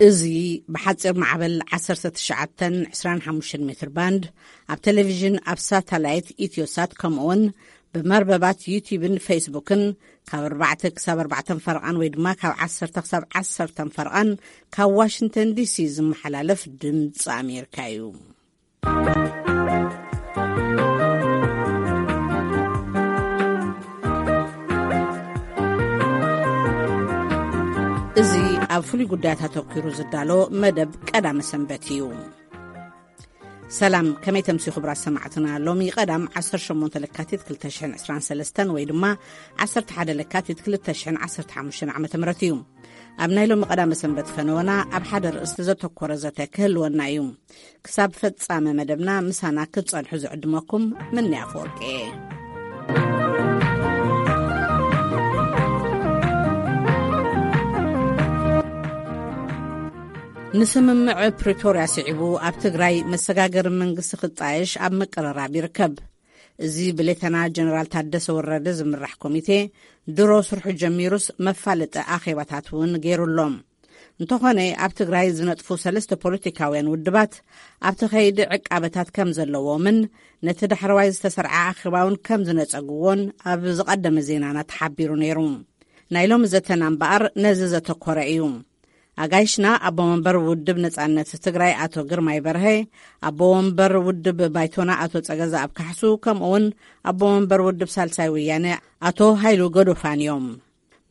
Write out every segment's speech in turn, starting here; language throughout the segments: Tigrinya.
እዚ ብሓጺር ማዕበል ዓሰርተ ትሽዓተን ዕስራን ሓሙሽተን ሜትር ባንድ፣ ኣብ ቴሌቪዥን፣ ኣብ ሳተላይት ኢትዮሳት፣ ከምኡውን ብመርበባት ዩቲዩብን ፌስቡክን ካብ ኣርባዕተ ክሳብ ኣርባዕተን ፈረቓን ወይ ድማ ካብ ዓሰርተ ክሳብ ዓሰርተን ፈረቓን ካብ ዋሽንግተን ዲሲ ዝመሓላለፍ ድምፂ ኣሜሪካ እዩ። እዚ ኣብ ፍሉይ ጉዳያት ኣተኲሩ ዝዳሎ መደብ ቀዳመ ሰንበት እዩ። ሰላም፣ ከመይ ተምሲ ክቡራት ሰማዕትና? ሎሚ ቀዳም ዓሰርተ ሸሞንተ ለካቲት ክልተ ሽሕን ዕስራን ሰለስተን ወይ ድማ ዓሰርተ ሓደ ለካቲት ክልተ ሽሕን ዓሰርተ ሓሙሽተን ዓመተ ምህረት እዩ። ኣብ ናይ ሎሚ ቀዳመ ሰንበት ፈነወና ኣብ ሓደ ርእስቲ ዘተኮረ ዘተ ክህልወና እዩ። ክሳብ ፈጻመ መደብና ምሳና ክትጸንሑ ዝዕድመኩም ምንያ ኣፈወርቂ እየ። ንስምምዕ ፕሪቶርያ ስዒቡ ኣብ ትግራይ መሰጋገሪ መንግስቲ ክጣየሽ ኣብ ምቅርራብ ይርከብ። እዚ ብሌተና ጀነራል ታደሰ ወረደ ዝምራሕ ኮሚቴ ድሮ ስርሑ ጀሚሩስ መፋለጢ ኣኼባታት እውን ገይሩሎም። እንተኾነ ኣብ ትግራይ ዝነጥፉ ሰለስተ ፖለቲካውያን ውድባት ኣብቲ ከይዲ ዕቃበታት ከም ዘለዎምን ነቲ ዳሕረዋይ ዝተሰርዐ ኣኼባ እውን ከም ዝነጸግዎን ኣብ ዝቐደመ ዜናና ተሓቢሩ ነይሩ። ናይ ሎሚ ዘተና እምበኣር ነዚ ዘተኮረ እዩ። ኣጋይሽና ኣቦ መንበር ውድብ ነጻነት ትግራይ ኣቶ ግርማይ በርሀ፣ ኣቦ ወንበር ውድብ ባይቶና ኣቶ ጸገዛኣብ ካሕሱ፣ ከምኡ እውን ኣቦ መንበር ውድብ ሳልሳይ ወያነ ኣቶ ሃይሉ ገዶፋን እዮም።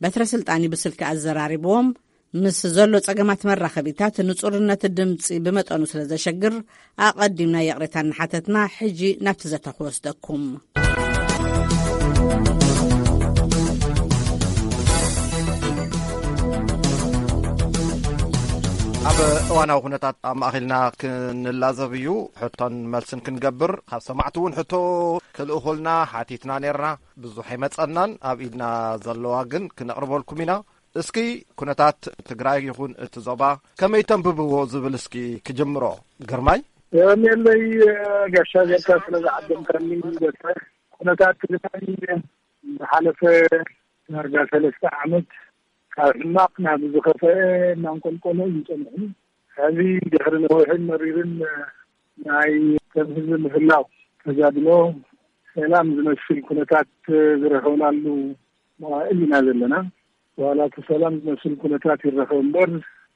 በትረ ስልጣን ብስልኪ ኣዘራሪብዎም፣ ምስ ዘሎ ጸገማት መራኸቢታት ንጹርነት ድምጺ ብመጠኑ ስለ ዘሸግር ኣቐዲምና ይቕሬታ እናሓተትና ሕጂ ናብቲ ዘተ ክወስደኩም። ኣብ እዋናዊ ኩነታት ኣማእኺልና ክንላዘብ እዩ። ሕቶን መልስን ክንገብር፣ ካብ ሰማዕቲ እውን ሕቶ ክልእኹልና ሓቲትና ነርና። ብዙሕ ኣይመጸናን፣ ኣብ ኢድና ዘለዋ ግን ክነቕርበልኩም ኢና። እስኪ ኩነታት ትግራይ ይኹን እቲ ዞባ ከመይ ተንብብዎ ዝብል እስኪ ክጅምሮ። ግርማይ። የቐንየለይ ጋሻ ጌርካ ስለ ዝዓደምካኒ። በትረ፣ ኩነታት ትግራይ ዝሓለፈ ዳርጋ ሰለስተ ዓመት ካብ ሕማቕ ናብ ዝኸፈአ እናንቆልቆለ እዩ ጸኒሑ። ሕዚ ድሕሪ ነዊሕን መሪርን ናይ ከም ህዝቢ ምህላው ተጋድሎ ሰላም ዝመስል ኩነታት ዝረኸብናሉ መዋእል ኢና ዘለና። ዋላ እቲ ሰላም ዝመስል ኩነታት ይረኸብ እምበር፣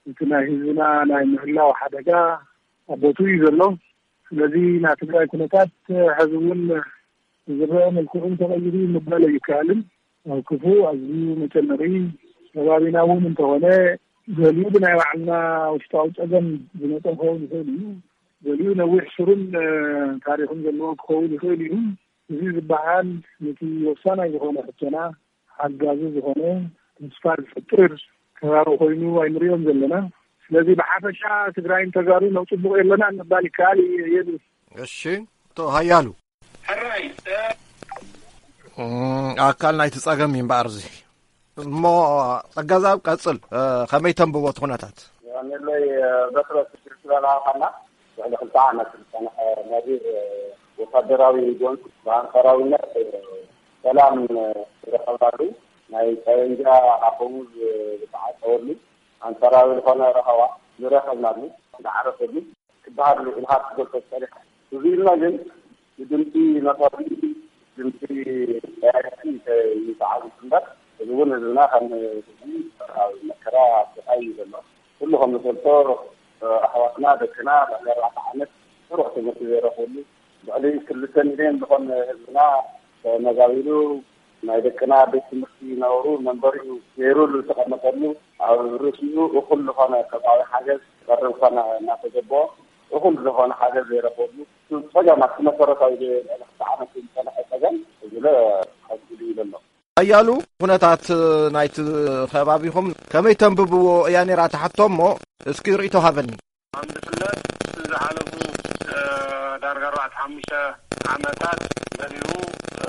እቲ ናይ ህዝብና ናይ ምህላው ሓደጋ ኣብ ቦትኡ እዩ ዘሎ። ስለዚ ናይ ትግራይ ኩነታት ሕዚ እውን ዝረአ መልክዑ ተቐይሩ ምባል ኣይከኣልን። ኣብ ክፉእ ኣዝዩ መጨነቒ ከባቢና እውን እንተኾነ፣ ገሊኡ ብናይ ባዕልና ውሽጣዊ ጸገም ዝመጸ ክኸውን ይኽእል እዩ። ገሊኡ ነዊሕ ሱርን ታሪኽን ዘለዎ ክኸውን ይኽእል እዩ። እዚ ዝበሃል ነቲ ወሳናይ ዝኾነ ሕቶና ሓጋዚ ዝኾነ ተስፋ ዝፈጥር ከባቢ ኮይኑ ኣይንሪኦን ዘለና። ስለዚ ብሓፈሻ ትግራይን ተጋሩን ኣብ ጽቡቕ የለና ምባል ይከኣል እዩ። የድሊ። እሺ፣ ኣቶ ሃያሉ። ሕራይ፣ እ፣ እም፣ ኣካል ናይቲ ጸገም እዩ እምበኣር እዚ። እሞ ጸጋዛብ ቀጽል፣ እ፣ ከመይ ተንብቦ እቲ ኩነታት? ንለይ፣ እ፣ በትረ ስድሪ ዝበላኻና ልዕሊ ክልተ ዓመት ዝጸንሐ ነቢር፣ እ፣ ወታደራዊ ጎንፂ ብኣንጻራዊነት፣ እ፣ ሰላም፣ እ፣ ዝረኸብናሉ፣ ናይ ጠበንጃ ኣፈሙዝ፣ እ፣ ዝተዓጸወሉ፣ ኣንጻራዊ ዝኾነ ረኸባ ዝረኸብናሉ፣ ዝዓረፈሉ ክበሃል ኢልካ ክትገልጾ ትኽእል ኢኻ። እዚ ኢልና ግን ንድምፂ ነፋሪት፣ ድምፂ ጠያይቲ ይተዓዝዝ እምበር፣ እዚ እውን ህዝብና ከም ህዝቢ ኣብ መከራ ኣብ ስቓይ እዩ ዘሎ። ኩሉ ከም ዝፈልጦ፣ ኣሕዋትና፣ ደቅና ልዕሊ ኣርባዕተ ዓመት ስሩዕ ትምህርቲ ዘይረኽብሉ፣ ልዕሊ ክልተ ሚልዮን ዝኾን ህዝብና ተመዛቢሉ፣ ናይ ደቅና ቤት ትምህርቲ ነበሩ መንበሪኡ ገይሩ ዝተቐመጠሉ፣ ኣብ ርእሲኡ እኹል ዝኾነ ሰብኣዊ ሓገዝ ክቐርብ ኮነ እናተገበኦ፣ እኹል ዝኾነ ሓገዝ ዘይረኽበሉ፣ ጸገማት መሰረታዊ ልዕሊ ክልተ ዓመት ዝጸንሐ ጸገም፣ እዚ ለ ቀጺሉ እዩ ዘሎ። ሓያሉ፣ ኩነታት ናይቲ ከባቢኹም ከመይ ተንብብዎ እያ ነይራ ትሓቶ እሞ፣ እስኪ ርእይቶ ሃበኒ። ከም ዝፍለጥ፣ ዝሓለፉ፣ እ፣ ዳርጋ ኣርባዕተ ሓሙሽተ ዓመታት ገሊኡ፣ እ፣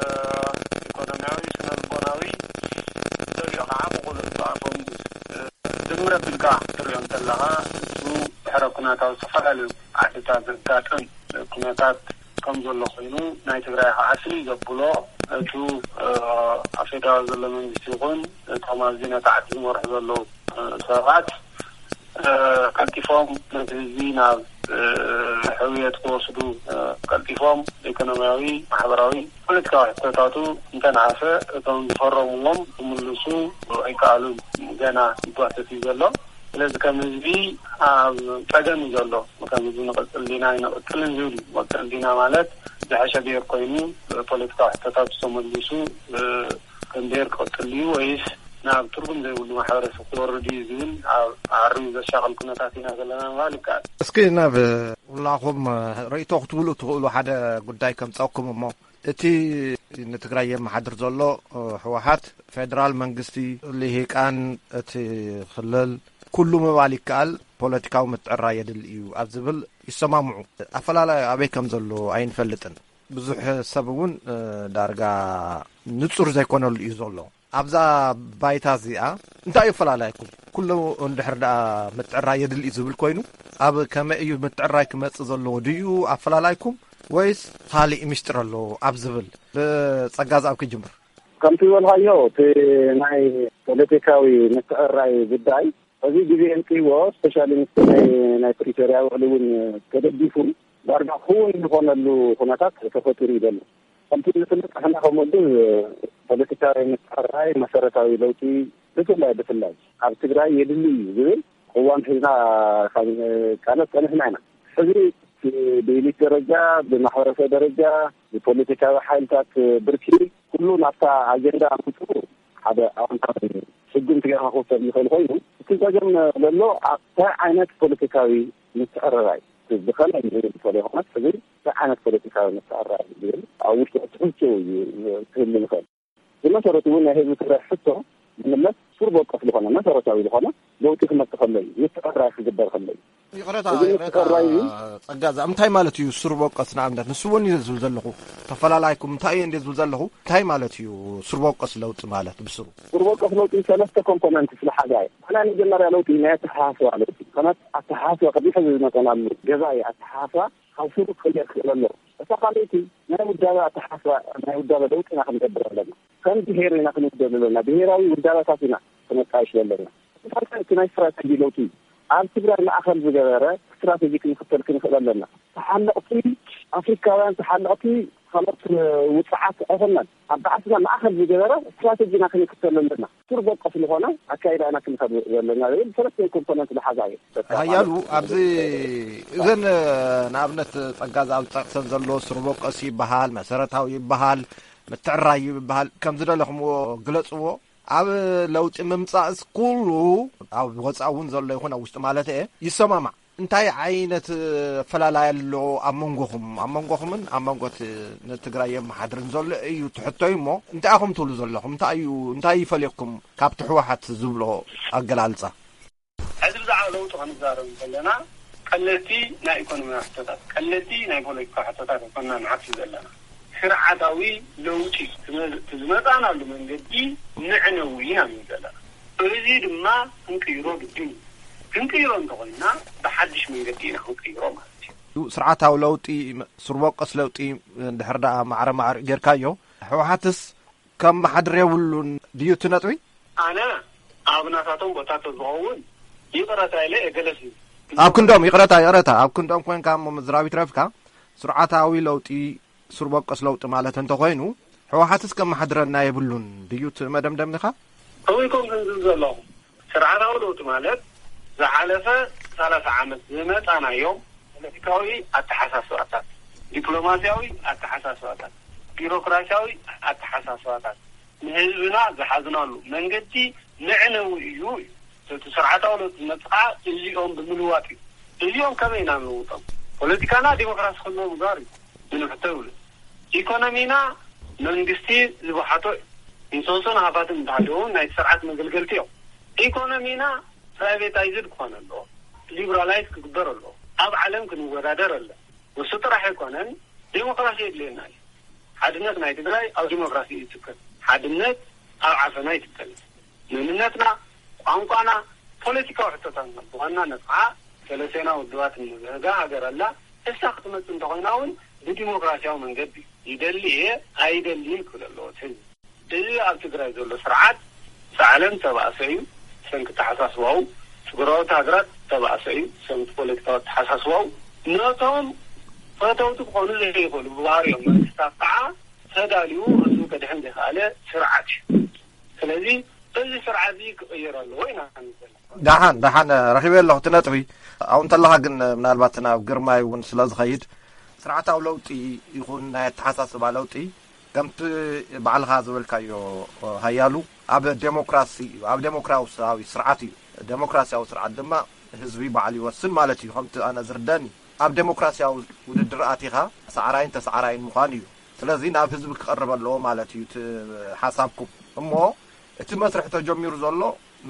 ኢኮኖሚያዊ፣ ስነ ልቦናዊ፣ ገሊኡ ከዓ ብቑልጡፍ ኣፈሙዝ፣ እ፣ ድምር ኣቢልካ ክትሪኦ እንተለኻ፣ እሱ ድሕረ ኩነታዊ ዝተፈላለዩ ዓድታት ዘጋጥም ኩነታት ከም ዘሎ ኮይኑ፣ ናይ ትግራይ ከዓ ፍልይ ዘብሎ፣ እቱ፣ እ፣ ኣብ ፌደራል ዘሎ መንግስቲ ይኹን እቶም ኣብዚ ነቲ ዓዲ ዝመርሑ ዘለዉ፣ እ፣ ሰባት ቀልጢፎም ነቲ ህዝቢ ናብ ሕውየት ክወስዱ፣ ቀልጢፎም ኢኮኖሚያዊ፣ ማሕበራዊ፣ ፖለቲካዊ ሕቶታቱ እንተነኣሰ እቶም ዝፈረምዎም ክምልሱ ኣይከኣሉን። ገና ይጓተት እዩ ዘሎ። ስለዚ ከም ህዝቢ ኣብ ጸገም እዩ ዘሎ። ከም ህዝቢ ንቐጽል ዲና ኣይንቐጽልን ዝብል እዩ። መቀል ዲና ማለት ዝሐሸ ብሔር ኮይኑ ፖለቲካዊ ሕቶታት ተመልሱ ከም ብሔር ክቕጽል ድዩ ወይስ ናብ ትርጉም ዘይብሉ ማሕበረሰብ ክወርድ እዩ ዝብል ኣብ ዓርዩ ዘሻቕል ኩነታት ኢና ዘለና ምባል ይከኣል። እስኪ ናብ ኩላኹም ርእይቶ ክትብሉ ትኽእሉ ሓደ ጉዳይ ከምጸኩም እሞ፣ እቲ ንትግራይ የመሓድር ዘሎ ህወሓት፣ ፌደራል መንግስቲ፣ ልሂቃን እቲ ክልል፣ ኩሉ ምባል ይከኣል፣ ፖለቲካዊ ምትዕራይ የድሊ እዩ ኣብ ዝብል ይሰማምዑ። ኣፈላላይ ኣበይ ከም ዘሎ ኣይንፈልጥን። ብዙሕ ሰብ እውን ዳርጋ ንጹር ዘይኮነሉ እዩ ዘሎ። ኣብዛ ባይታ እዚኣ እንታይ እዩ ኣፈላላይኩም? ኩሉ እንድሕር ደኣ ምትዕራይ የድሊ እዩ ዝብል ኮይኑ፣ ኣብ ከመይ እዩ ምትዕራይ ክመጽእ ዘለዎ ድዩ ኣፈላላይኩም፣ ወይስ ካልእ ሚስጥር ኣሎ ኣብ ዝብል? ብጸጋ ዝኣብ ክጅምር። ከምቲ ዝበልካዮ፣ እቲ ናይ ፖለቲካዊ ምትዕራይ ጉዳይ፣ እዚ ግዜ እንክይዎ፣ ስፔሻሊ ምስቲ ናይ፣ ናይ ፕሪቶርያ ውዕሊ እውን ተደጊፉ፣ ዳርጋ ክውን ዝኾነሉ ኩነታት ተፈጢሩ እዩ ዘሎ። ከምቲ ዝፍለጥ፣ ንሕና ከም ውድብ ፖለቲካዊ ምትዕርራይ መሰረታዊ ለውጢ፣ ብፍላይ፣ ብፍላይ ኣብ ትግራይ የድሊ እዩ ዝብል ቅዋም ሒዝና ካብ ንቃለስ ጸኒሕና ኢና። ሕዚ ብኤሊት ደረጃ፣ ብማሕበረሰብ ደረጃ፣ ብፖለቲካዊ ሓይልታት ብርኪ፣ ኩሉ ናብታ ኣጀንዳ ኣምፅኡ ሓደ ኣወንታዊ ስጉምቲ ጌርካ ክወሰድ ይኽእል ኮይኑ፣ እቲ ጸገም ዘሎ ኣብ እንታይ ዓይነት ፖለቲካዊ ምትዕርራይ፣ ብኸመይ ንዝብል ዝፈለየ ኮነት፣ ሕዚ እንታይ ዓይነት ፖለቲካዊ ምትዕርራይ ዝብል ኣብ ውሽጢ ሕቶ እዩ ክህሉ ዝኽእል። ብመሰረቱ እውን ናይ ህዝቢ ትግራይ ሕቶ ዝምለስ ሱር በቆስ ዝኾነ መሰረታዊ ዝኾነ ለውጢ ክመፅእ ከሎ እዩ፣ ምትዕርራይ ክግበር ከሎ እዩ። ይቕረታ፣ እዚ ይቕረታ፣ ምትዕርራይ እዩ። ጸጋ፣ እዛ እንታይ ማለት እዩ ሱር በቆስ? ንኣብነት ንሱ እውን እዩ ዝብል ዘለኹ፣ ተፈላላይኩም እንታይ እዩ እንደ ዝብል ዘለኹ፣ እንታይ ማለት እዩ ሱር በቆስ ለውጢ ማለት ብስሩ? ሱር በቆስ ለውጢ ሰለስተ ኮምፖነንት ዝሓዘ እዩ። እቲ ናይ መጀመርያ ለውጢ ናይ ኣተሓሳስባ ለውጢ፣ ከመት ኣተሓሳስባ ቅድሚ ሕዚ ዝመጸናሉ ገዛ እዩ። ኣተሓሳስባ ካብ ስሩ ክቕየር ክኽእል ኣለዎ። እታ ካልኣይቲ ናይ ውዳበ ኣተሓሳስባ፣ ናይ ውዳበ ለውጢ ኢና ክንገብር ኣለና። ከም ብሄር ኢና ክንውደብ ዘለና። ብሄራዊ ውዳበታት ኢና ክነጣይሽ ዘለና። እቲ ካልኣይ እቲ ናይ ስትራተጂ ለውጢ እዩ። ኣብ ትግራይ ማእኸል ዝገበረ ስትራተጂ ክንኽተል ክንኽእል ኣለና። ተሓለቕቲ ኣፍሪካውያን፣ ተሓለቕቲ ካልኦት ውፅዓት ኣይኮናን። ኣብ ባዕስና ማእኸል ዝገበረ ስትራተጂና ክንክተል ኣለና። ሱር በቆስ ዝኾነ ኣካይዳና ክንኸድ ዘለና ዝብል ሰለስተ ኮምፖነንት ዝሓዛ እዩ። ሃያሉ፣ ኣብዚ እዘን ንኣብነት ጸጋ ዝኣብ ዝጠቕሰን ዘሎ ሱር በቆስ ይበሃል፣ መሰረታዊ ይበሃል፣ ምትዕራይ ይበሃል፣ ከም ዝደለኹምዎ ግለጽዎ። ኣብ ለውጢ ምምጻእስ ኩሉ ኣብ ወጻኢ እውን ዘሎ ይኹን ኣብ ውሽጢ ማለት እየ ይሰማማዕ። እንታይ ዓይነት ፈላላይ ኣሎ ኣብ መንጎኹም፣ ኣብ መንጎኹምን ኣብ መንጎ እቲ ንትግራይ የመሓድርን ዘሎ እዩ ትሕቶይ እሞ፣ እንታይ ኢኹም ትብሉ ዘለኹም? እንታይ እዩ፣ እንታይ ይፈልየኩም ካብቲ ህወሓት ዝብሎ ኣገላልጻ? ሕዚ ብዛዕባ ለውጢ ክንዛረብ እንከለና፣ ቀለልቲ ናይ ኢኮኖሚያዊ ሕቶታት፣ ቀለልቲ ናይ ፖለቲካ ሕቶታት ኣይኮና ንሓቱ ዘለና። ስርዓታዊ ለውጢ ዝመ-፣ ዝመጻናሉ መንገዲ ንዕነዊ ኢና ንብል ዘለና። እዚ ድማ ክንቅይሮ ግድን እዩ። ክንቅይሮ እንተኾይንና፣ ብሓድሽ መንገዲ ኢና ክንቅይሮ ማለት እዩ። ስርዓታዊ ለውጢ፣ ሱር በቆስ ለውጢ፣ እንድሕር ደኣ ማዕረ ማዕረ ጌርካዮ፣ ህወሓትስ ከም መሓድር የብሉን ድዩ እቲ ነጥቢ? ኣነ ኣብ ናታቶም ቦታ ተዝኸውን ይቕረታ ኢለ እገለስ እዩ። ኣብ ክንዶም፣ ይቕረታ፣ ይቕረታ፣ ኣብ ክንዶም ኮንካ እሞ ምዝራብ ይትረፍካ፣ ስርዓታዊ ለውጢ፣ ሱር በቆስ ለውጢ ማለት እንተኾይኑ፣ ህወሓትስ ከም መሓድረና የብሉን ድዩ እቲ መደምደምንኻ? ከምኡ ኢልኩም ክንዝብ ዘለኹም፣ ስርዓታዊ ለውጢ ማለት ዝሓለፈ ሰላሳ ዓመት ዝመጻናዮም ፖለቲካዊ ኣተሓሳስባታት፣ ዲፕሎማሲያዊ ኣተሓሳስባታት፣ ቢሮክራሲያዊ ኣተሓሳስባታት፣ ንህዝብና ዝሓዝናሉ መንገዲ መዕነዊ እዩ እዩ። እቲ ስርዓታዊ ለውጢ ዝመጽእ ከዓ እዚኦም ብምልዋጥ እዩ። እዚኦም ከመይ ኢና ንልውጦም? ፖለቲካና ዲሞክራሲ ክህልዎ ምግባር እዩ። ምንም ሕቶ የብሉን። ኢኮኖሚና መንግስቲ ዝወሓጦ እዩ። ኢንሶንሶን ሃፋትን እንተሃለዉ እውን ናይ ስርዓት መገልገልቲ እዮም። ኢኮኖሚና ፕራይቬታይዝድ ክኾን ኣለዎ። ሊብራላይዝ ክግበር ኣለዎ። ኣብ ዓለም ክንወዳደር ኣለ። ንሱ ጥራሕ ኣይኮነን፣ ዴሞክራሲ የድልየና እዩ። ሓድነት ናይ ትግራይ ኣብ ዴሞክራሲ እዩ ዝትከል። ሓድነት ኣብ ዓፈና ይትከል። መንነትና፣ ቋንቋና፣ ፖለቲካዊ ሕቶታትና፣ ብዋናነት ከዓ ሰለስቴና ውድባት እንብህጋ ሃገር ኣላ። እሳ ክትመጽእ እንተኾይና እውን ብዲሞክራሲያዊ መንገዲ ይደሊ እየ ኣይደልይን ክብል ኣለዎ እቲ ህዝቢ። እዚ ኣብ ትግራይ ዘሎ ስርዓት ሰዓለን ተባእሰ እዩ። ብሰንኪ ተሓሳስባኡ ጉራዎት ሃገራት ተባእሰ እዩ። ሰምቲ ፖለቲካዊ ኣተሓሳስባኡ ነቶም ፈተውቲ ክኾኑ ዘይኽእሉ ብባህሪኦም መንግስታት ከዓ ተዳልዩ ህዝቡ ከድሕን ዘይኸኣለ ስርዓት እዩ። ስለዚ እዚ ስርዓት እዚ ክቕየር ኣለዎ ኢና ንብል ዘለና። ደሓን ደሓን ረኺበ ኣለኹ እቲ ነጥቢ። ኣብኡ እንተለኻ ግን ምናልባት ናብ ግርማይ እውን ስለ ዝኸይድ ስርዓታዊ ለውጢ ይኹን ናይ ኣተሓሳስባ ለውጢ ከምቲ ባዕልኻ ዝበልካዮ ሃያሉ ኣብ ዴሞክራሲ እዩ፣ ኣብ ዴሞክራሲያዊ ስርዓት እዩ። ዴሞክራሲያዊ ስርዓት ድማ ህዝቢ ባዕሉ ይወስን ማለት እዩ። ከምቲ ኣነ ዝርደኒ ኣብ ዴሞክራሲያዊ ውድድር ኣቲኻ ሰዓራይን ተሰዓራይን ምዃን እዩ። ስለዚ ናብ ህዝቢ ክቐርብ ኣለዎ ማለት እዩ እቲ ሓሳብኩም። እሞ እቲ መስርሕ ተጀሚሩ ዘሎ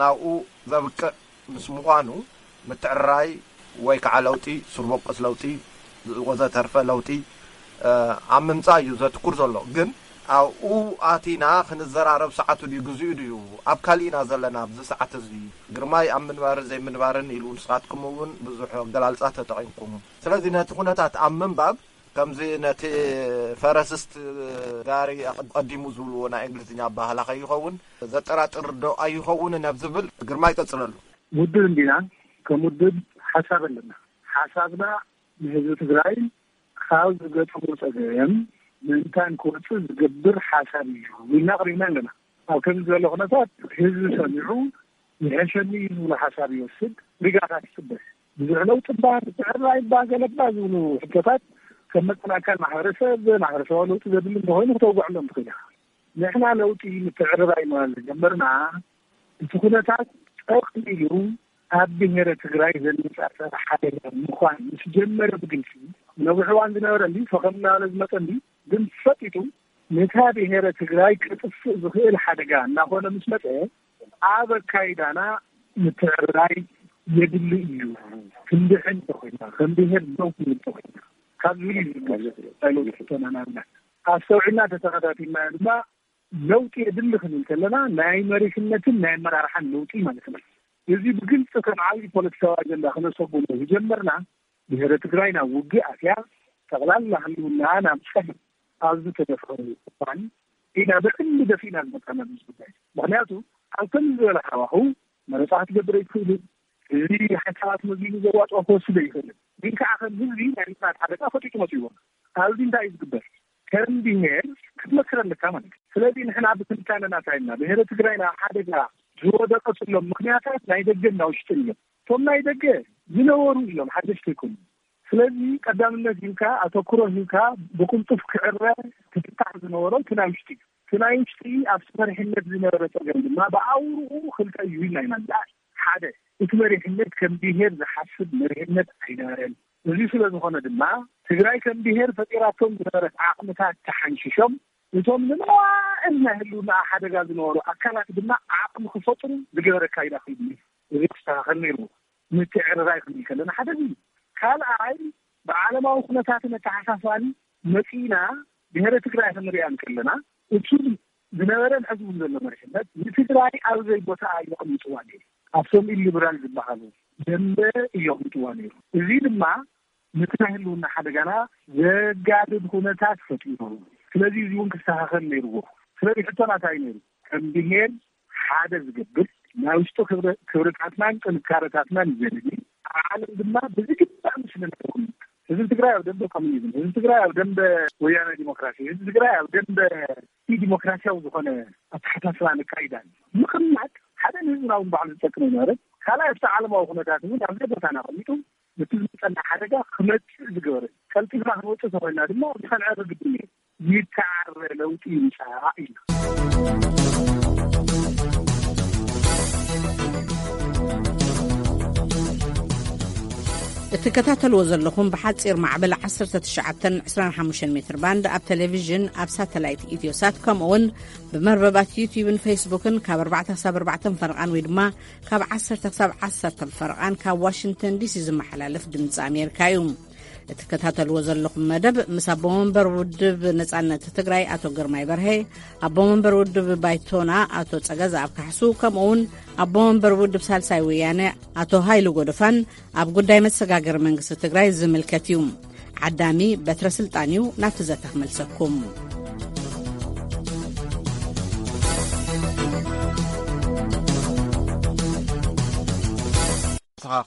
ናብኡ ዘብቅዕ ምስ ምዃኑ ምትዕርራይ ወይ ከዓ ለውጢ፣ ሱር በቆስ ለውጢ ወዘተርፈ ለውጢ ኣብ ምምፃእ እዩ ዘትኩር ዘሎ። ግን ኣብኡ ኣቲና ክንዘራረብ ሰዓቱ ድዩ፣ ግዚኡ ድዩ፣ ኣብ ካሊእ ኢና ዘለና ኣብዚ ሰዓት እዚ። ግርማይ ኣብ ምንባርን ዘይምንባርን ኢሉ ንስኻትኩም እውን ብዙሕ ኣገላልፃ ተጠቒምኩም። ስለዚ ነቲ ኩነታት ኣብ ምንባብ ከምዚ ነቲ ፈረስስት ጋሪ ቀዲሙ ዝብልዎ ናይ እንግሊዝኛ ኣባህላ ከይኸውን ዘጠራጥር ዶ ኣይኸውን ናብ ዝብል ግርማይ ቀፅለሉ። ውድብ እንዲና፣ ከም ውድብ ሓሳብ ኣለና። ሓሳብና ንህዝቢ ትግራይ ካብ ዝገጠሙ ፀገም ምእንታን ክወፅእ ዝገብር ሓሳብ እዩ ኢልና ኣቕሪብና ኣለና። ኣብ ከምዚ ዘሎ ኩነታት ህዝቢ ሰሚዑ ይሕሸኒ እዩ ዝብሎ ሓሳብ ይወስድ፣ ሪጋታት ይፅበ። ብዙሕ ለውጢ እባ፣ ምትዕርራይ እባ፣ ገለ እባ ዝብሉ ሕቶታት ከም መጠን ኣካል ማሕበረሰብ፣ ማሕበረሰባዊ ለውጢ ዘድሊ እንተኾይኑ ክተውግዐሎም ትኽእል ኢኻ። ንሕና ለውጢ ምትዕርራይ ምባል ዝጀመርና እቲ ኩነታት ጠቕሊሉ ኣብ ብሄረ ትግራይ ዘነጻጸረ ሓደጋ ምዃን ምስ ጀመረ ብግልፂ፣ ነዊሕ እዋን ዝነበረ እንዲ ፈኸም እናበለ ዝመፀ እንዲ ግን ፈጢጡ ነታ ብሄረ ትግራይ ከጥፍእ ዝኽእል ሓደጋ እናኾነ ምስ መፀ ኣብ ኣካይዳና ምትዕርራይ የድሊ እዩ። ክንድሕን እንተኾይና፣ ከም ብሄር ደው ክንብል እንተኾይና ካብ ዝብል እዩ ዝግበር ናይ ለውጢ ሕቶና ንኣብነት ኣስተውዒልና ተተኸታቲልናዮ ድማ ለውጢ የድሊ ክንብል ከለና ናይ መሪሕነትን ናይ ኣመራርሓን ለውጢ ማለት ነው። እዚ ብግልፂ ከም ዓብዪ ፖለቲካዊ ኣጀንዳ ክነሰጉሞ ዝጀመርና ብሄረ ትግራይ ናብ ውግእ ኣትያ ጠቕላላ ህልውና ናብ ፀገም ኣብ ዝተደፍረሉ እዋን ኢና ብዕሊ ደፊእና ዝመፃና ኣብዚ ጉዳይ። ምክንያቱ ኣብ ከምዚ ዝበለ ሃዋህው መረፃ ክትገብር ኣይትኽእልን። እዚ ሓሳባት መዚኑ ዘዋፅኦ ክወስድ ኣይኽእልን። ግን ከዓ ከም ህዝቢ ናይ ምፅናት ሓደጋ ፈጢጡ መፅእዎ። ኣብዚ እንታይ እዩ ዝግበር? ከም ብሄር ክትመክር ኣለካ ማለት እዩ። ስለዚ ንሕና ብትንታነና እንታይ ኢልና? ብሄረ ትግራይ ናብ ሓደጋ ዝወደቀትሎም ምክንያታት ናይ ደገን ናይ ውሽጥን እዮም። እቶም ናይ ደገ ዝነበሩ እዮም፣ ሓደሽቲ ኣይኮኑን። ስለዚ ቀዳምነት ሂብካ፣ ኣተኩሮ ሂብካ ብቅልጡፍ ክዕረ ክፍታሕ ዝነበሮ እቲ ናይ ውሽጢ እዩ። እቲ ናይ ውሽጢ ኣብቲ መሪሕነት ዝነበረ ፀገም ድማ ብኣውርኡ ክልተ እዩ ኢልና ኢና ንዝኣል። ሓደ፣ እቲ መሪሕነት ከም ብሄር ዝሓስብ መሪሕነት ኣይነበረን። እዚ ስለ ዝኾነ ድማ ትግራይ ከም ብሄር ፈጢራቶም ዝነበረት ዓቕምታት ተሓንሺሾም እቶም ንመዋእል ናይ ህልውና ሓደጋ ዝነበሩ ኣካላት ድማ ዓቕሚ ክፈጥሩ ዝገበረ ኣካይዳ ኮይኑ እዩ። እዚ ክስተኻኸል ነይርዎ። ምትዕርራይ ክንብል ከለና ሓደ እዚ እዩ። ካልኣይ ብዓለማዊ ኩነታትን ኣተሓሳስባን መፂና ብሄረ ትግራይ ክንሪኣ እንከለና እቱ ዝነበረን ሕዚ እውን ዘሎ መሪሕነት ንትግራይ ኣብ ዘይቦታኣ የቕምጥዋ ነይሩ። ኣብቶም ኢሊብራል ዝበሃሉ ደምበ እየቕምጥዋ ነይሩ። እዚ ድማ ነቲ ናይ ህልውና ሓደጋና ዘጋድድ ኩነታት ፈጢሩ። ስለዚ እዚ እውን ክስተኻኸል ነይርዎ። ስለዚ ሕቶና እንታይ ነይሩ? ከም ብሄር ሓደ ዝገብር ናይ ውሽጡ ክብረ- ክብርታትናን ጥንካረታትናን ዘርኢ ዓለም ድማ ብዝግባእ ምስልና ተቐምጥ። ህዝቢ ትግራይ ኣብ ደንበ ኮሚኒዝም፣ ህዝቢ ትግራይ ኣብ ደንበ ወያነ ዲሞክራሲ፣ ህዝቢ ትግራይ ኣብ ደንበ ዲሞክራሲያዊ ዝኾነ ኣተሓሳስባ ነካይዳን ምቕማጥ ሓደ ንህዝብና እውን ባዕሉ ዝጠቅም ኣይነበረን። ካልኣይ ኣብቲ ዓለማዊ ኩነታት እውን ኣብ ዘቦታና ኣቐሚጡ ነቲ ዝመፀና ሓደጋ ክመፅእ ዝገበረ ቀልጢፍና ክንወፅእ ተኾይና ድማ እዚ ከንዕር ግድን እዩ። ይተዓረ ለውጢ ይምፃእ ኢልና። እትከታተልዎ ዘለኹም ብሓፂር ማዕበል ዓሰርተ ትሽዓተ ዕስራን ሓሙሽተን ሜትር ባንድ ኣብ ቴሌቪዥን ኣብ ሳተላይት ኢትዮሳት ከምኡ እውን ብመርበባት ዩትዩብን ፌስቡክን ካብ ኣርባዕተ ክሳብ ኣርባዕተ ፈረቓን ወይ ድማ ካብ ዓሰርተ ክሳብ ዓሰርተ ፈረቓን ካብ ዋሽንግተን ዲሲ ዝመሓላለፍ ድምፂ ኣሜሪካ እዩ። እትከታተልዎ ዘለኹም መደብ ምስ ኣቦ መንበር ውድብ ነጻነት ትግራይ ኣቶ ግርማይ በርሀ፣ ኣቦ መንበር ውድብ ባይቶና ኣቶ ጸገዝኣብ ካሕሱ ከምኡ እውን ኣቦ መንበር ውድብ ሳልሳይ ወያነ ኣቶ ሃይሉ ጎደፋን ኣብ ጉዳይ መሰጋገሪ መንግስቲ ትግራይ ዝምልከት እዩ። ዓዳሚ በትረ ስልጣን እዩ ናብቲ ዘተ ክመልሰኩም።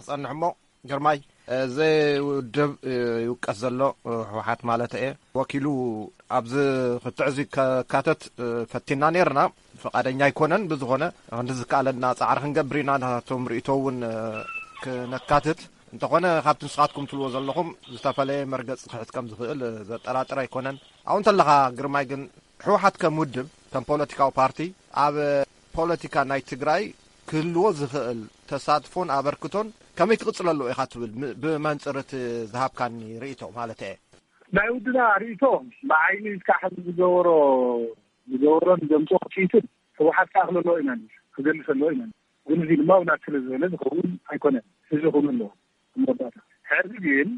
ክጸንሕ እሞ፣ ግርማይ፣ እዚ ውድብ ይውቀስ ዘሎ፣ ህወሓት ማለት እየ፣ ወኪሉ ኣብዚ ክትዕ እዚ ከካተት ፈቲና ነርና። ፍቓደኛ ኣይኮነን። ብዝኾነ፣ ክንዲ ዝከኣለና ጻዕሪ ክንገብር ኢና። ናቶም ርእይቶ እውን ክነካትት እንተኾነ፣ ካብቲ ንስኻትኩም ትብልዎ ዘለኹም ዝተፈለየ መርገጽ ክሕዝ ከም ዝኽእል ዘጠራጥር ኣይኮነን። ኣብኡ እንተለኻ፣ ግርማይ፣ ግን ህወሓት ከም ውድብ፣ ከም ፖለቲካዊ ፓርቲ፣ ኣብ ፖለቲካ ናይ ትግራይ ክህልዎ ዝኽእል ተሳትፎን ኣበርክቶን ከመይ ክቕጽለሉ ኢኻ ትብል? ም-፣ ብመንጽር እቲ ዝሃብካኒ ርእይቶ ማለት እየ። ናይ ውድና ርእይቶ ብዓይኒ እስካዕ ሕዚ ዝገበሮ፣ ዝገበሮን ዘምጽኦ ውፅኢትን ህወሓት ክኣኽለሎ ኢና፣ ክገልጸሎ ኢና። ግን እዚ ድማ ውላድ ስለ ዝበለ ዝኸውን ኣይኮነን። እዚ ክኸውን ኣለዎ። መወዳእታ። ሕዚ ግን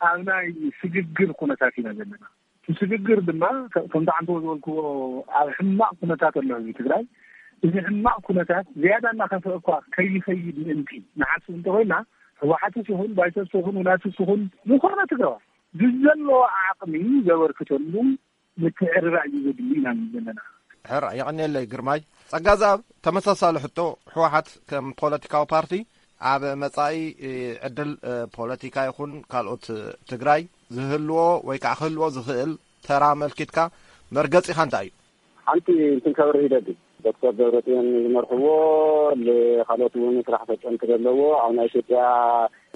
ኣብ ናይ ስግግር ኩነታት ኢና ዘለና። እቲ ስግግር ድማ ከ-፣ ከምቲ ዓንተቦ ዝበልክዎ ኣብ ሕማቕ ኩነታት ኣሎ ህዝቢ ትግራይ። እዚ ሕማቕ ኩነታት ዝያዳ እናኸፍአ እኳ ከይኸይድ ምእንቲ ንሓስብ እንተኾይና፣ ህወሓትስ ይኹን ባይቶስ ይኹን ውላትስ ይኹን ዝኾነ ትግራዋይ ብዘለዎ ዓቕሚ ዘበርክተሉ ምትዕርራይ እዩ ዘድሊ ኢና ንብል ዘለና። ሕራይ፣ የቐንየለይ ግርማይ። ጸጋዝኣብ፣ ተመሳሳሊ ሕቶ፣ ህወሓት ከም ፖለቲካዊ ፓርቲ ኣብ መጻኢ፣ እ፣ ዕድል፣ እ፣ ፖለቲካ ይኹን ካልኦት፣ እ፣ ትግራይ ዝህልዎ ወይ ከዓ ክህልዎ ዝኽእል ተራ ኣመልኪትካ መርገጺኻ እንታይ እዩ? ሓንቲ እንትን ከብርህ ይደሊ። ዶክተር ደብረጽዮን ዝመርሕዎ፣ ል-፣ ካልኦት እውን ስራሕ ፈጸምቲ ዘለዎ፣ ኣብ ናይ ኢትዮጵያ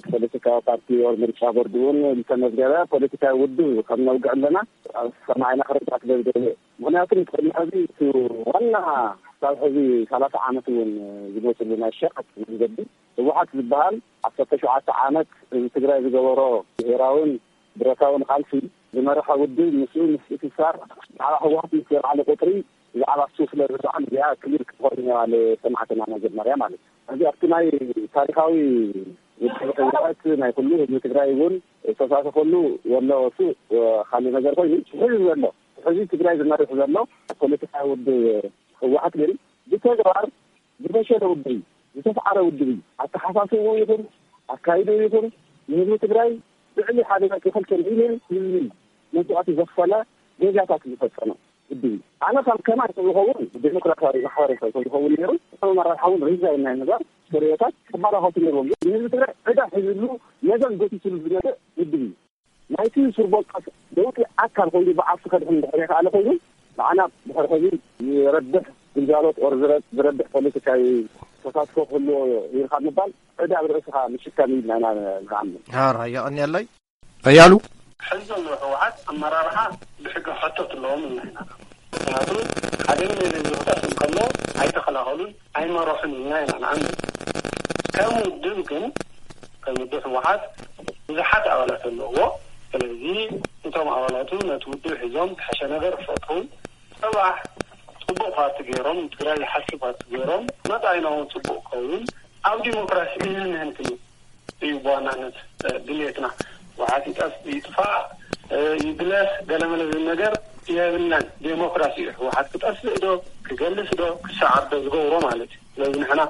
ፖለቲካዊ ፓርቲ ወይ ምርጫ ቦርድ እውን ዝተመዝገበ ፖለቲካዊ ውድብ ከም ነውግዕ ኣለና። ኣብ ሰማይና ክርዳእ ስለ ዝደለ። ምኽንያቱ፣ ቅድሚ ሕዚ እቲ ዋና ክሳብ ሕዚ ሰላሳ ዓመት እውን ዝመፅሉ ናይ ሸቐጥ መንገዲ ህወሓት ዝበሃል ዓሰርተ ሸውዓተ ዓመት ህዝቢ ትግራይ ዝገበሮ ብሄራውን ብረታውን ቃልሲ ዝመርሖ ውድብ ምስኡ ምስትእስሳር ብዛዕባ ህወሓት ምስ ዘልዓለ ቁፅሪ ብዛዕባ እሱ ስለ ዝሰኣን እዚኣ ክሊር ክትኾን እያ ንሰማዕትና መጀመርያ ማለት እዩ። እዚ ኣብቲ ናይ ታሪኻዊ ውድብ ህወሓት ናይ ኩሉ ህዝቢ ትግራይ እውን ዝተሳተፈሉ ዘሎ እሱ ካልእ ነገር ኮይኑ፣ ሕዚ ዘሎ፣ ሕዚ ትግራይ ዝመርሕ ዘሎ ፖለቲካዊ ውድብ ህወሓት ግን ብተግባር ዝፈሸለ ውድብ እዩ፣ ዝተስዓረ ውድብ እዩ። ኣተሓሳስብኡ ይኹን ኣካይድኡ ይኹን ንህዝቢ ትግራይ ልዕሊ ሓደ ነጥቢ ክልተ ሚልዮን ህዝቢ መስዋእቲ ዘኽፈለ ጌጋታት ዝፈጸመ ውድብ እዩ። ኣነ ከም ከማይ ዝኸውን ዴሞክራሲያዊ ማሕበረሰብ ዝኸውን ነይሩ፣ እቶም ኣመራርሓ እውን ሪዛይን ናይ ምግባር ተርእዮታት ክመላኸቱ ነይርዎም። ግን ንህዝቢ ትግራይ ዕዳ ሒዝሉ፣ ነዘን ጎቲትሉ ዝመፀ ውድብ እዩ። ናይቲ ስር በቀል ለውጢ ኣካል ኮይኑ ብዓርሱ ከድሕን እንድሕር የኽኣለ ኮይኑ፣ ንዓና ድሕሪ ሕዚ ዝረብሕ ግልጋሎት ኦር ዝረ-፣ ዝረብሕ ፖለቲካዊ ተሳትፎ ክህልዎ ኢልካ ምባል ዕዳ ኣብ ርእስኻ ምሽካም እዩ ኢልና ኢና ንኣምን። ሓራ የቐንየለይ። ኣያሉ። ሕዚ ዘሎ ህወሓት ኣመራርሓ ብሕጊ ሕቶት ኣለዎም ኢልና ኢና። ምኽንያቱ ሓደ ሚሊዮን ዝኽጠፍ እንከሎ ኣይተኸላኸሉን ኣይመረሑን ኢልና ኢና ንኣምን። ከም ውድብ ግን፣ ከም ውድብ ህወሓት ብዙሓት ኣባላት ኣለዎ። ስለዚ እቶም ኣባላቱ ነቲ ውድብ ሒዞም ዝሐሸ ነገር ክፈጥሩን፣ ጽባሕ ጽቡቕ ፓርቲ ገይሮም፣ ንትግራይ ዝሓስብ ፓርቲ ገይሮም፣ መጻኢና እውን ጽቡቕ ክኸውን፣ ኣብ ዲሞክራሲ እንህንህን ክንብል እዩ ብዋናነት፣ እ፣ ድልየትና። ህወሓት ይጠፍ-፣ ይጥፋእ፣ እ፣ ይግለስ፣ ገለመለ ዝብል ነገር የብልናን። ዴሞክራሲ እዩ። ህወሓት ክጠፍእ ዶ፣ ክገልስ ዶ፣ ክሰዓር ዶ ዝገብሮ ማለት እዩ። ስለዚ ንሕና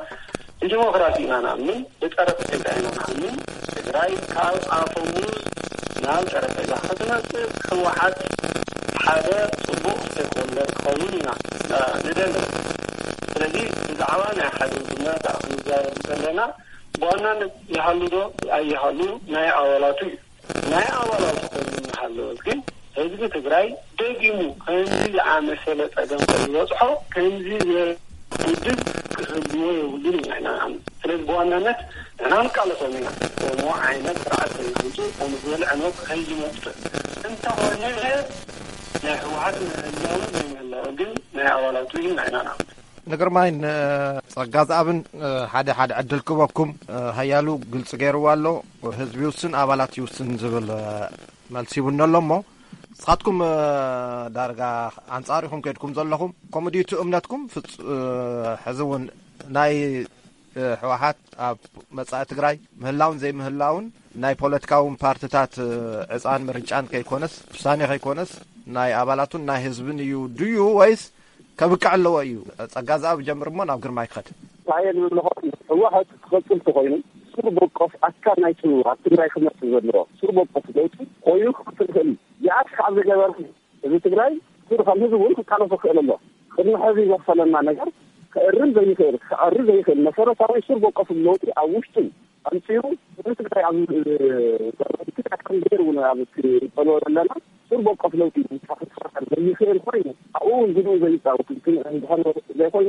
ብዲሞክራሲ ኢና ንኣምን፣ ብጠረጴዛ ኢና ንኣምን። ትግራይ ካብ ኣፈሙዝ ናብ ጠረጴዛ ክትመጽእ ህወሓት ሓደ ጽቡቕ ስቴክሆልደር ክኸውን ኢና፣ እ፣ ንደሊ። ስለዚ ብዛዕባ ናይ ሓደ ውድብ መረፃ ክንዛረብ ዘለና ብዋናነት ይሃሉ ዶ ኣይሃሉ ናይ ኣባላቱ እዩ። ናይ ኣባላቱ ኮይኑ እናሃለወ ግን ህዝቢ ትግራይ ደጊሙ ከምዚ ዝኣመሰለ ፀገም ከይበፅሖ ከምዚ ዝበለ ውድብ ክህልዎ የብሉን ኢና ኢና ንኣምን። ስለዚ ብዋናነት ንሕና ንቃለሶም ኢና። ከምኡ ዓይነት ስርዓት ከይመፅእ፣ ከምኡ ዝበለ ዕንወት ከይመፅእ። እንተኾነ ናይ ህወሓት ምህላው ዘይምህላው ግን ናይ ኣባላቱ እዩ ኢና ኢና ንኣምን። ንግርማይን፣ እ፣ ጸጋዝኣብን፣ እ፣ ሓደ ሓደ ዕድል ክበኩም፣ እ፣ ሃያሉ ግልጺ ገይርዋ ኣሎ። ህዝቢ ይውስን፣ ኣባላት ይውስን ዝብል፣ እ፣ መልሲ ይውነ ኣሎ እሞ፣ ንስኻትኩም፣ እ፣ ዳርጋ ኣንጻር ኢኹም ከይድኩም ዘለኹም። ከምኡ ድዩ እቲ እምነትኩም? ፍጹ-፣ እ፣ ሕዚ እውን ናይ፣ እ፣ ህወሓት ኣብ መጻኢ ትግራይ ምህላውን ዘይምህላውን ናይ ፖለቲካውን ፓርትታት፣ እ፣ ዕጻን ምርጫን ከይኮነስ፣ ውሳኔ ከይኮነስ፣ ናይ ኣባላቱን ናይ ህዝብን እዩ ድዩ ወይስ ከብቅዕ ኣለዎ እዩ። ጸጋ ዝኣብ ጀምር እሞ ናብ ግርማይ ክኸድ። ታየ ዝብልኾ ህወሓት ክቐጽል ተኾይኑ፣ ስር በቆስ ኣካል ናይቱ ኣብ ትግራይ ክመጽእ ዘለዎ ስር በቆስ ለውጢ ኮይኑ ክቕጽል ይኽእል እዩ። ዚኣት ካብ ዝገበር ህዝቢ ትግራይ ስር ከም ህዝቢ እውን ክቃለሶ ክኽእል ኣሎ። ቅድሚ ሕዚ ዘኽፈለና ነገር ክእርም ዘይኽእል፣ ክዕሪ ዘይኽእል መሰረታዊ ስር በቆስ ለውጢ ኣብ ውሽጡ ኣምፂኡ ንትግራይ ኣብ ትግራይ ከም ገይሩ እውን ኣብ ክንጠልቦ ዘለና ስር በቆፍ ለውጢ ክፈጥር ዘይኽእል ኮይኑ ኣብኡ እውን ግድኡ ዘይፃወት እንተኾይኑ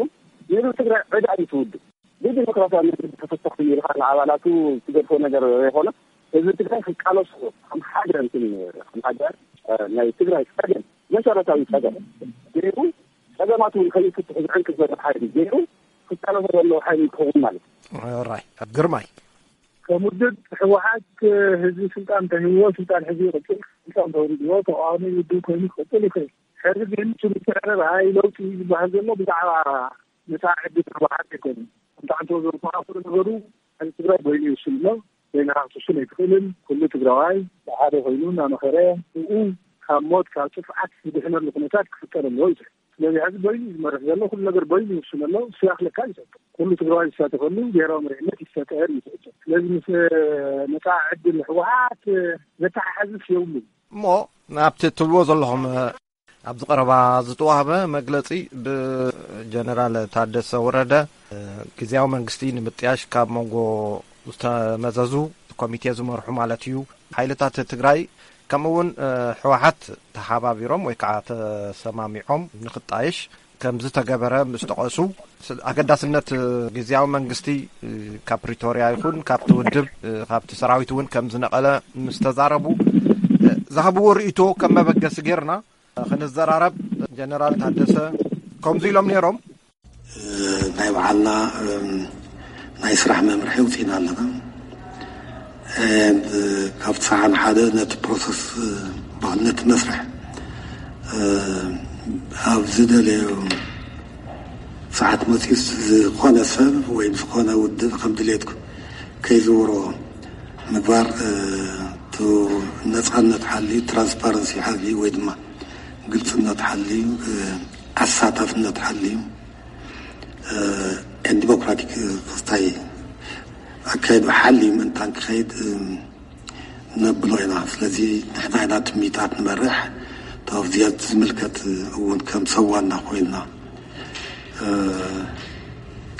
ንህዝቢ ትግራይ ዕዳ እዩ ትውድእ። ብዲሞክራሲያዊ መንገዲ ተፈተኽቲ ኢልካ ንኣባላቱ ትገድፎ ነገር ዘይኮነ ህዝቢ ትግራይ ክቃለሶ ከም ሓደ እንትን ከም ሓደ ናይ ትግራይ ፀገም መሰረታዊ ፀገም ገይሩ ጸገማት እውን ከይፍትሑ ዝዕንቅፍ ዘሎ ሓይሊ ገይሩ ክቃለሶ ዘለዎ ሓይሊ ይኸውን ማለት እዩ። ራይ ግርማይ ከም ውድብ ህወሓት ህዝቢ ስልጣን እንተሂብዎ ስልጣን ሕዚ ይቕፅል፣ ስልጣን ተወሪድዎ ተቃዋሚ ውድብ ኮይኑ ክቕፅል ይኽእል። ሕዚ ግን እቲ ምትዕርራይ ለውጢ ዝበሃል ዘሎ ብዛዕባ ነፃ ዕድል ህወሓት ኣይኮነን። ከምቲ ዓንተቦ ዘብርሃ ኩሉ ነገሩ ሕዚ ትግራይ በይኑ ይውስን ኣሎ። በይንኻ ክትውስን ኣይትኽእልን። ኩሉ ትግራዋይ ብሓደ ኮይኑ እናመኸረ ብኡ ካብ ሞት ካብ ጥፍዓት ዝድሕነሉ ኩነታት ክፍጠር ኣለዎ እዩ ዝብል። ስለዚ ሕዚ በይኑ እዩ ዝመርሕ ዘሎ። ኩሉ ነገር በይኑ ይውስን ኣሎ። እሱ ይኣኽለካ እዩ ዝሕቶ። ኩሉ ትግራዋይ ዝሳተፈሉ ብሄራዊ መሪሕነት ይፈጠር እዩ ዝሕቶ። ስለዚ ምስ መፃኢ ዕድል ህወሓት ዘተሓሓዝስ የብሉን። እሞ ኣብቲ እትብልዎ ዘለኹም ኣብዚ ቀረባ ዝተዋህበ መግለጺ ብጀነራል ታደሰ ወረደ፣ ግዝያዊ መንግስቲ ንምጥያሽ ካብ መንጎ ዝተመዘዙ ኮሚቴ ዝመርሑ ማለት እዩ ሓይልታት ትግራይ ከምኡ እውን ህወሓት ተሓባቢሮም ወይ ከዓ ተሰማሚዖም ንክጣየሽ ከም ዝተገበረ ምስ ጠቐሱ ኣገዳስነት ግዝያዊ መንግስቲ ካብ ፕሪቶርያ ይኹን ካብቲ ውድብ ካብቲ ሰራዊት እውን ከም ዝነቐለ ምስ ተዛረቡ ዝሃብዎ ርእይቶ ከም መበገሲ ጌርና ክንዘራረብ ጀነራል ታደሰ ከምዚ ኢሎም ነይሮም። ናይ በዓልና ናይ ስራሕ መምርሒ ኣውፂእና ኣለና። ካብቲ ሰዓን ሓደ ነቲ ፕሮሰስ በዓል ነቲ መስርሕ ኣብ ዝደለዮ ሰዓት መፂኡ ዝኾነ ሰብ ወይ ዝኾነ ውድብ ከም ድሌትኩ ከይዝውሮ ምግባር ነፃነት ሓልዩ ትራንስፓረንሲ ሓልዩ ወይ ድማ ግልፅነት ሓልዩ ኣሳታፍነት ሓልዩ ዲሞክራቲክ ክስታይ ኣካይዱ ሓልዩ ምእንታን ክኸይድ ነብሎ ኢና። ስለዚ ንሕና ኢና ትሚታት ንመርሕ ኣብዚኣ ዝምልከት እውን ከም ሰዋና ኮይንና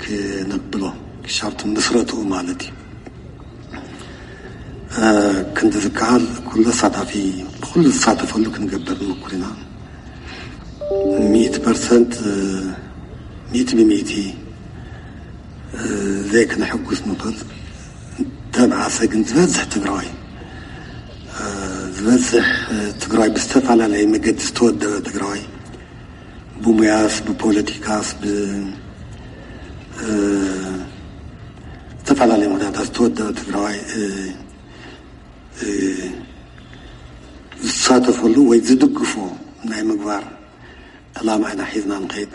ክነብሎ ክሻብቲ ምስረትኡ ማለት እዩ። ክንዲ ዝከኣል ኩሉ ኣሳታፊ ብኩሉ ዝሳተፈሉ ክንገብር ንምኩር ኢና። ሚእቲ ፐርሰንት ሚእቲ ብሚእቲ ዘይክነሐጉስ ንኽእል። ተብዓሰ ግን ዝበዝሕ ትግራዋይ ዝበዝሕ ትግራዋይ ብዝተፈላለየ መገዲ ዝተወደበ ትግራዋይ ብሙያስ ብፖለቲካስ ብ ዝተፈላለየ ምክንያታት ዝተወደበ ትግራዋይ ዝሳተፈሉ ወይ ዝድግፎ ናይ ምግባር ዕላማ ኢና ሒዝና ንኸይድ።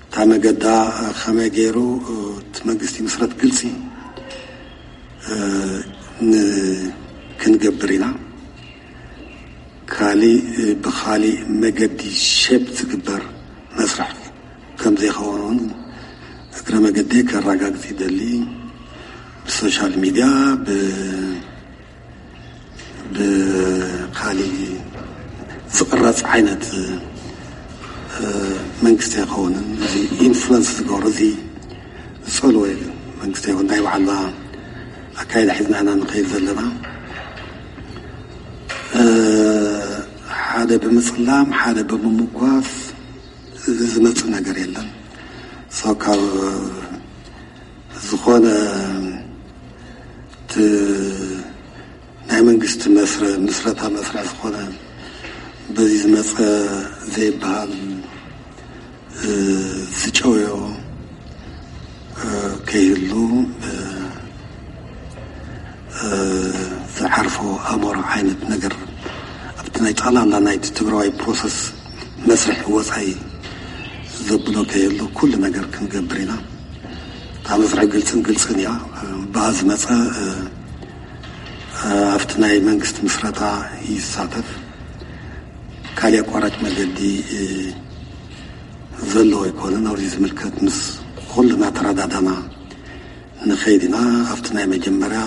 እታ መገዳ ከመይ ገይሩ እቲ መንግስቲ ምስረት ግልፂ ክንገብር ኢና። ካሊእ ብኻሊእ መገዲ ሼፕ ዝግበር መስርሕ ከም ዘይኸውን እውን እግረ መገደይ ከረጋግፅ ይደሊ። ብሶሻል ሚድያ ብካሊእ ዝቕረፅ ዓይነት መንግስቲ ኣይኸውንን። እዚ ኢንፍሉንስ ዝገብሮ እዚ ዝፀልወ መንግስቲ ኣይኮን። ናይ ባዕልና ኣካይዳ ሒዝና ኢና ንኸይድ ዘለና። ሓደ ብምፅላም ሓደ ብምምጓስ ዝመፅእ ነገር የለን። ካብ ዝኾነ ናይ መንግስቲ መስረ ምስረታ መስርሕ ዝኾነ በዚ ዝመፀ ዘይበሃል ዝጨውዮ ከይህሉ ዝዓርፎ ኣሞራ ዓይነት ነገር ኣብቲ ናይ ጠቕላላ ናይቲ ትግራዋይ ፕሮሰስ መስርሕ ወፃኢ ዘብሎ ከየሎ ኩሉ ነገር ክንገብር ኢና። እታ መስርሕ ግልፅን ግልፅን እያ። ብኣ ዝመፀ ኣብቲ ናይ መንግስቲ ምስረታ ይሳተፍ። ካሊእ ኣቋራጭ መገዲ ዘለዎ ኣይኮነን። ኣብዚ ዝምልከት ምስ ኩሉ እናተረዳዳና ንኸይድ ኢና። ኣብቲ ናይ መጀመርያ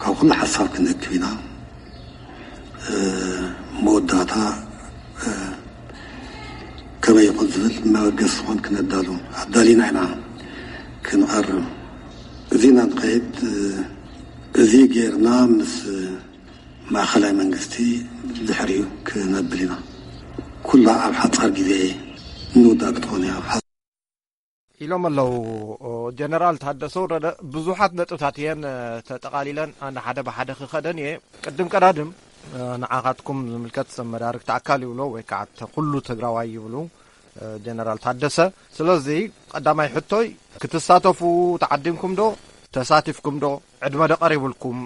ካብ ኩሉ ሓሳብ ክንእክብ ኢና። መወዳእታ ከመይ ይኹን ዝብል መበገሲ ዝኾን ክነዳሉ ኣዳሊና ኢና ክንቐርብ። ዜና ንኸይድ፣ እዚ ጌርና ምስ ማእኸላይ መንግስቲ ድሕሪኡ ክነብል ኢና። ኩላ ኣብ ሓጻር ግዜ ንውዳ ክትኾን እያ። ኢሎም ኣለዉ ጀነራል ታደሰ ወረደ። ብዙሓት ነጥብታት እየን ተጠቓሊለን፣ ኣነ ሓደ ብሓደ ክኸደን እየ። ቅድም ቀዳድም ንዓኻትኩም ዝምልከት ሰብ መዳርግቲ ኣካል ይብሎ ወይ ከዓ ኩሉ ትግራዋይ ይብሉ ጀነራል ታደሰ። ስለዚ ቀዳማይ ሕቶይ፣ ክትሳተፉ ተዓዲምኩም ዶ? ተሳቲፍኩም ዶ? ዕድመ ዶ ቀሪብልኩም?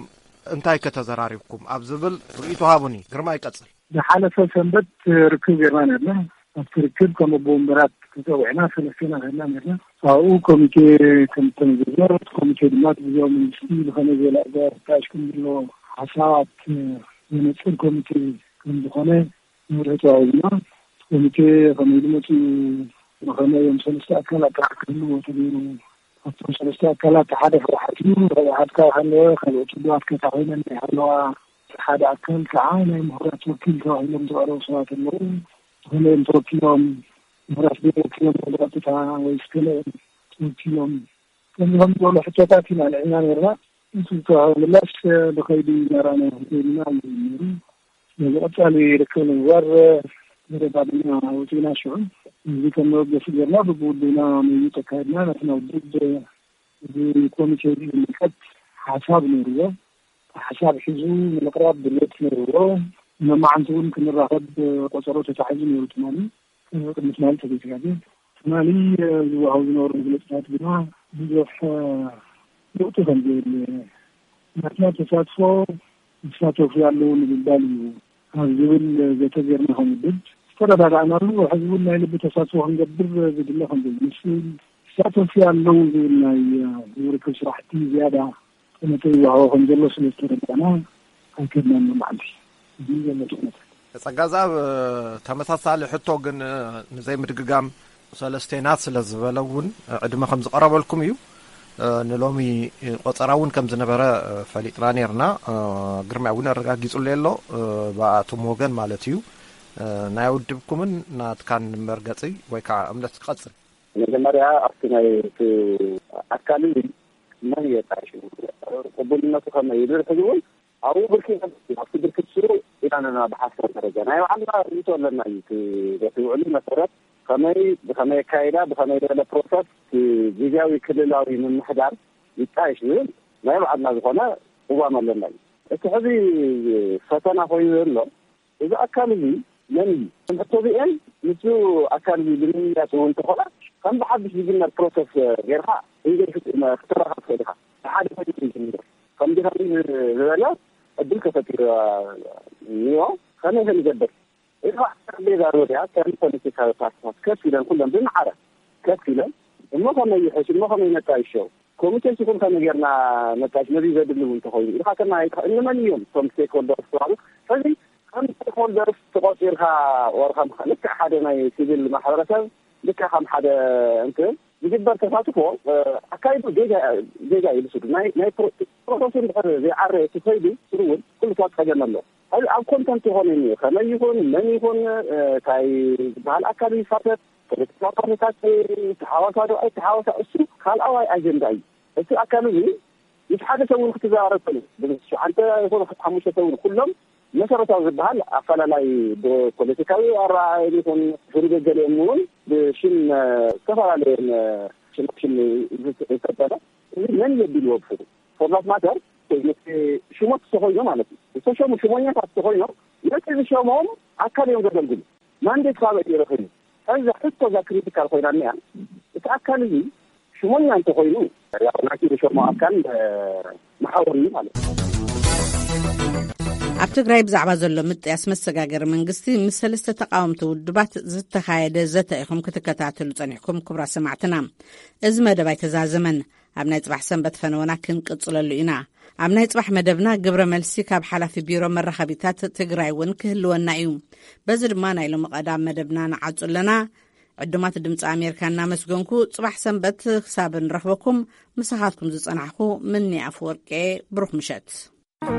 እንታይ ከተዘራሪብኩም ኣብ ዝብል ርእይቶ ሃቡኒ። ግርማ ይቀጽል። ዝሓለፈ ሰንበት ርክብ ጌርና ነርና። ኣብቲ ርክብ ከም ኣቦ ወንበራት ተጸዊዕና ሰለስቴና ከድና ነርና። ኣብኡ ኮሚቴ ከም ተመዘዘ፣ እቲ ኮሚቴ ድማ እቲ ግዜያዊ መንግስቲ ብኸመይ ዝበለ ኣገባብ ክጣየሽ ከም ዘለዎ ሓሳባት ዘነጽር ኮሚቴ ከም ዝኾነ ንርእ ተዋሂብና። እቲ ኮሚቴ ከመይ ኢሉ መጺኡ፣ ብኸመይ እዮም ሰለስተ ኣካላት ጥራሕ ክህልዎ ተገይሩ። ኣብቶም ሰለስተ ኣካላት ሓደ ህወሓት እዩ። ህወሓት ካብ ሃለወ ካልኦት ውድባት ከታ ኮይነን ናይ ሃለዋ ሓደ ኣካል ከዓ ናይ ምሁራት ወኪል ተባሂሎም ዝቐረቡ ሰባት ኣለዉ። ዝኾነ እዮም ተወኪሎም፣ ምሁራት ዶ ወኪሎም ብቐጥታ ወይስ ገለ እዮም ተወኪሎም? ከምዚ ከም ዝበሉ ሕቶታት ኢና ልዒልና ነርና። እቲ ዝተዋህበ ምላሽ ብኸይዲ እናረኣናዮ ክንከይድ ኢና እዩ ነይሩ። ስለዚ ቀጻሊ ርክብ ንምግባር መደብ ኣቢልና ወፂእና። ሽዑ እዚ ከም መበገሲ ገርና ብብውድብና ምይይጥ ኣካይድና። ናትና ውድብ እዚ ኮሚቴ እዚ ዝምልከት ሓሳብ ነይርዎ። ሓሳብ ሒዙ ንምቕራብ ድሌት ነይርዎ። መማዓንቲ እውን ክንራኸብ ቆፀሮ ተታሒዙ ነይሩ ትማሊ። ቅድሚ ትማሊ ተዘይተጋግየ ትማሊ ዝወሃቡ ዝነበሩ መግለፅታት ግና ብዙሕ ለውጢ ከም ዘየለ ናትና ተሳትፎ ይሳተፉ ያለው ንምባል እዩ ኣብ ዝብል ዘተ ጌርና ከም ውድብ ዝተረዳዳእናሉ። ሕዚ እውን ናይ ልቢ ተሳትፎ ክንገብር ዝድለ ከም ዘሎ ይመስል። ይሳተፉ ያለው ዝብል ናይ ዝርክብ ስራሕቲ ዝያዳ ጠመተ ይወሃቦ ከም ዘሎ ስለ ዝተረዳእና ኣይከድናን መዓልቲ። እዚ ዘሎ ጠመተ ጸጋዛብ ተመሳሳሊ ሕቶ ግን ንዘይምድግጋም ሰለስቴና ስለ ዝበለ እውን ዕድመ ከም ዝቐረበልኩም እዩ። ንሎሚ ቆጸራ እውን ከም ዝነበረ ፈሊጥና ነርና። ግርማይ እውን ኣረጋጊጹለይ ኣሎ። ብኣቶም ወገን ማለት እዩ። ናይ ውድብኩምን ናትካን መርገጺ ወይ ከዓ እምነት ክቐጽል። መጀመርያ ኣብቲ ናይ እቲ ኣካል እዚ መን እየ ጣይሹ? ቅቡልነቱ ከመይ እዩ? ዝብል ሕዚ እውን ኣብኡ ብርኪ ኣብቲ ብርክት ስሩ ኢና ኣለና። ብሓሳብ ደረጃ ናይ ባዕልና ርእይቶ ኣለና እዩ። እቲ በቲ ውዕሉ መሰረት ከመይ፣ ብኸመይ ኣካይዳ፣ ብኸመይ ዝበለ ፕሮሰስ እቲ ግዜያዊ ክልላዊ ምምሕዳር ይጣይሽ ዝብል ናይ ባዕልና ዝኾነ ቅዋም ኣለና እዩ። እቲ ሕዚ ፈተና ኮይኑ ዘሎ እዚ ኣካል እዚ መን እዩ? እቶም ሕቶ እዚአን ምስኡ ኣካል እዚ ብምምያጽ እውን እንተኾነ ከም ብሓድሽ ዝጅመር ፕሮሰስ ጌርካ እንገድፍት ክተራኸብ ትኽእል ኢኻ። ብሓደ ኮይኑ እዩ ዝምደር። ከምዚ ከምዚ ዝበለ ዕድል ተፈጢሩ እኒኦ። ከመይ ከንገብር? እዚ ከዓ ጠረጴዛ ዙርያ ከም ፖለቲካዊ ፓርቲታት ከፍ ኢለን ኩለን ብማዕረ ከፍ ኢለን እሞ ከመይ ይሕሽ እሞ ከመይ ነጣይሾ ኮሚቴ ሲኹም ከመይ ጌርና ነጣይሽ ነዚ ዘድሊ እውን እንተኾይኑ ኢልካ ከመይ ኣይትኸ-፣ እንመን እዮም እቶም ስቴክሆልደርስ ተባሉ? ሕዚ ከም ስቴክሆልደርስ ተቆፂርካ ወር ከም ልክዕ ሓደ ናይ ሲቪል ማሕበረሰብ ልክዕ ከም ሓደ እንትን ዝግበር ተሳትፎ ኣካይዱ ጌጋ ጌጋ እዩ ዝስዱ ናይ ናይ ፕሮሰሱ እንድሕር ዘይዓረ እቲ ከይዱ ስሩ እውን ኩሉ ታ ፀገም ኣሎ። ሕዚ ኣብ ኮንተንት ይኾን እዩ ከመይ ይኹን መን ይኹን እንታይ ዝበሃል ኣካል ይሳተፍ ፖለቲካ ፓርቲታት ተሓዋሳ ዶ ኣይተሓዋሳ እሱ ካልኣዋይ ኣጀንዳ እዩ። እቲ ኣካል እዚ ምስ ሓደ ሰብ እውን ክትዘራረብ ትኽእል። ብሸዓንተ ይኹን ሓሙሽተ ሰብ እውን ኩሎም መሰረታዊ ዝበሃል ኣፈላላይ ብፖለቲካዊ ኣረኣእያ ይኹን ፍርገ ገሊኦም እውን ብሽም ዝተፈላለየ ሽም ዝሰጠነ እዚ መን የቢልዎ ብሕሩ ፎርማት ማተር ሽሞት ተኾይኖ ማለት እዩ። ዝተሸሙ ሽሞኛታት ተኾይኖም ነቲ ዝሸሞም ኣካል እዮም ዘገልግሉ። ማንዴት ካበይ ይረኽብ እዩ? ሕዚ ሕቶ እዛ ክሪቲካል ኮይና እኒኣ እቲ ኣካል እዚ ሽሞኛ እንተኾይኑ ያው ናይቲ ዝሸሞ ኣካል መሓወር እዩ ማለት እዩ። ኣብ ትግራይ ብዛዕባ ዘሎ ምጥያስ መሰጋገሪ መንግስቲ ምስ ሰለስተ ተቃወምቲ ውድባት ዝተኻየደ ዘተ ኢኹም ክትከታተሉ ጸኒሕኩም። ክቡራት ሰማዕትና፣ እዚ መደብ ኣይተዛዘመን። ኣብ ናይ ጽባሕ ሰንበት ፈነወና ክንቅጽለሉ ኢና። ኣብ ናይ ጽባሕ መደብና ግብረ መልሲ ካብ ሓላፊ ቢሮ መራኸቢታት ትግራይ እውን ክህልወና እዩ። በዚ ድማ ናይ ሎሚ ቀዳም መደብና ንዓጹ ኣለና። ዕዱማት ድምፂ ኣሜሪካ እናመስገንኩ፣ ጽባሕ ሰንበት ክሳብ ንረኽበኩም ምሳኻትኩም ዝጸናሕኩ ምኒ ኣፈወርቄ። ብሩኽ ምሸት።